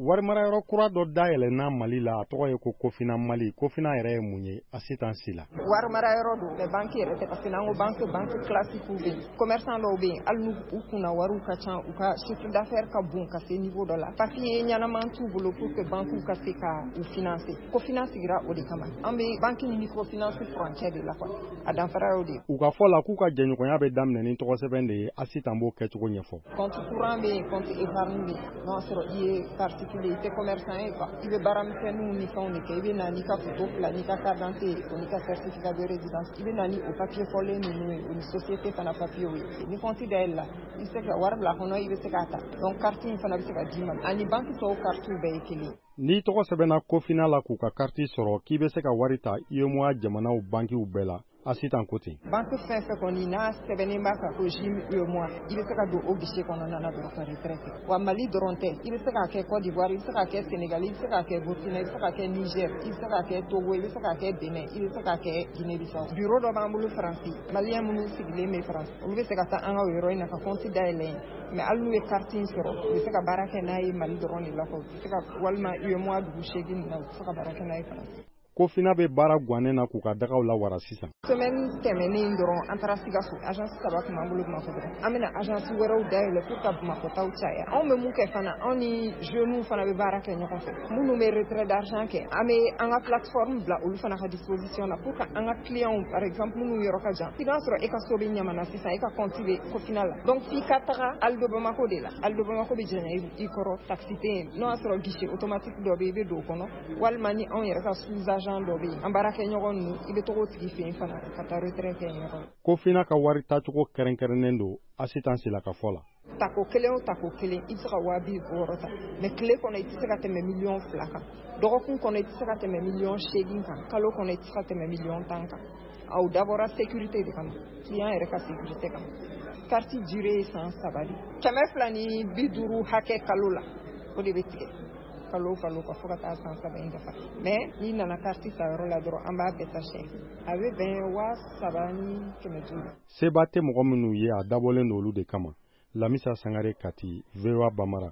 Warimarayɔrɔ kura dɔ dayɛlɛnna Mali la, a tɔgɔ ye ko Kofina Mali. Kofina yɛrɛ ye mun ye? Asitan Sila. Warimarayɔrɔ don, mais banque yɛrɛ tɛ, parce que n'an ko banque, banque classique bɛ yen. Commerçant dɔw bɛ yen, hali n'u u kunna wariw ka ca, u ka chiffre d'affaires ka bon ka se niveau dɔ la, papier ɲɛnaman t'u bolo pour que banque ka se ka u financer. Kofina sigira o de kama. An bɛ banque ni microfinance furancɛ de la quoi, a danfara y'o de ye. U ka fɔ la, k'u ka jɛɲɔgɔnya bɛ daminɛ ni tɔgɔsɛbɛn de ye. Asitan b'o kɛcogo ɲɛfɔ. Compte courant bɛ yen, compte épargne bɛ yen. N'o y'a sɔrɔ i ye particulier, i tɛ commerçant ye quoi, i bɛ baaramisɛnninw ni fɛnw de kɛ, i bɛ na n'i ka photo fila n'i ka carte d'identité ye, o n'i ka certificat de résidence. I bɛ na ni o papier fɔlen ninnu ye, o ni société fana papier ye. Ni compte dayɛlɛ la, i bɛ se ka wari bila a kɔnɔ, i bɛ se k'a ta. Donc carte in fana bɛ se ka d'i ma, ani banque tɔw carte bɛɛ ye kelen. N'i tɔgɔ sɛbɛnna Kofina la k'u ka karti sɔrɔ, k'i bɛ se ka wari ta UEMOA jamanaw bankiw bɛɛ la. Asitan ko ten. Banque fɛn fɛn kɔni n'a sɛbɛnnen b'a kan ko JIM UEMOA, i bɛ se ka don o guichet kɔnɔna na dɔrɔn ka retrait kɛ. Wa Mali dɔrɔn tɛ, i bɛ se k'a kɛ Côte d'Ivoire, i bɛ se k'a kɛ Sénégal, i bɛ se k'a kɛ Burkina, i bɛ se k'a kɛ Niger, i bɛ se k'a kɛ Togo, i bɛ se k'a kɛ Benin, i bɛ se k'a kɛ Guinée Bissau. Bureau dɔ b'an bolo Faransi, malien minnu sigilen bɛ Faransi, olu bɛ se ka taa an ka o yɔrɔ in na ka compte dayɛlɛ yen. Mais hali n'u ye carte in sɔrɔ, u bɛ se ka baara kɛ n'a ye Mali dɔrɔn de la quoi, u bɛ se ka walima UEMOA dugu 8 ninnu na, u bɛ se ka baara kɛ n'a ye Faransi. Kofina bɛ baara gannen na k'u ka dagaw lawara sisan. Semaine tɛmɛnen dɔrɔn, an taara Sikaso. Agence saba tun b'an bolo Bamakɔ dɔrɔn, an bɛna agence wɛrɛw dayɛlɛ pour ka Bamakɔ taw caya. Anw bɛ mun kɛ fana, anw ni jeunes fana bɛ baara kɛ ɲɔgɔn fɛ. Minnu bɛ retrait d'argent kɛ, an bɛ an ka plateforme bila olu fana ka disposition na pour que an ka clients, par exemple minnu yɔrɔ ka jan, i b'a sɔrɔ e ka so bɛ Ɲamana sisan, e ka compte bɛ Kofina la, donc f'i ka taga Aldo Bamako de la. Aldo Bamako bɛ janya i kɔrɔ, taxi tɛ yen. N'o y'a sɔrɔ guichet automatique dɔ bɛ yen, i bɛ don o kɔnɔ, walima ni anw yɛrɛ ka sous agent dɔ bɛ yen, an baarakɛɲɔgɔn ninnu, i bɛ taga o tigi fɛ yen fana ka taa retrait kɛ yen yɔrɔ. Kofina ka wari tacogo kɛrɛnkɛrɛnnen don, Asitan Sila ka fɔ la. Tako kelen o tako kelen, i bɛ se ka 60 000 ta, mais tile kɔnɔ i tɛ se ka tɛmɛ 2 miliyɔn kan. Dɔgɔkun kɔnɔ i tɛ se ka tɛmɛ 8 miliyɔn kan. Kalo kɔnɔ i tɛ se ka tɛmɛ 10 miliyɔn kan. Aw dabɔra sécurité de kama, client yɛrɛ ka sécurité kama. Carte durée ye san 3 de, 250 hakɛ kalo la, o de bɛ tigɛ kalo o kalo ka fo ka taa san 3 in dafa. Mais n'i nana carte ta yɔrɔ la dɔrɔn, an b'a bɛɛ ta siyɛn, a bɛ bɛn 3500. Seba tɛ mɔgɔ minnu ye, a dabɔlen don olu de kama. Lamisa Sangare, Kati, VOA Bambara.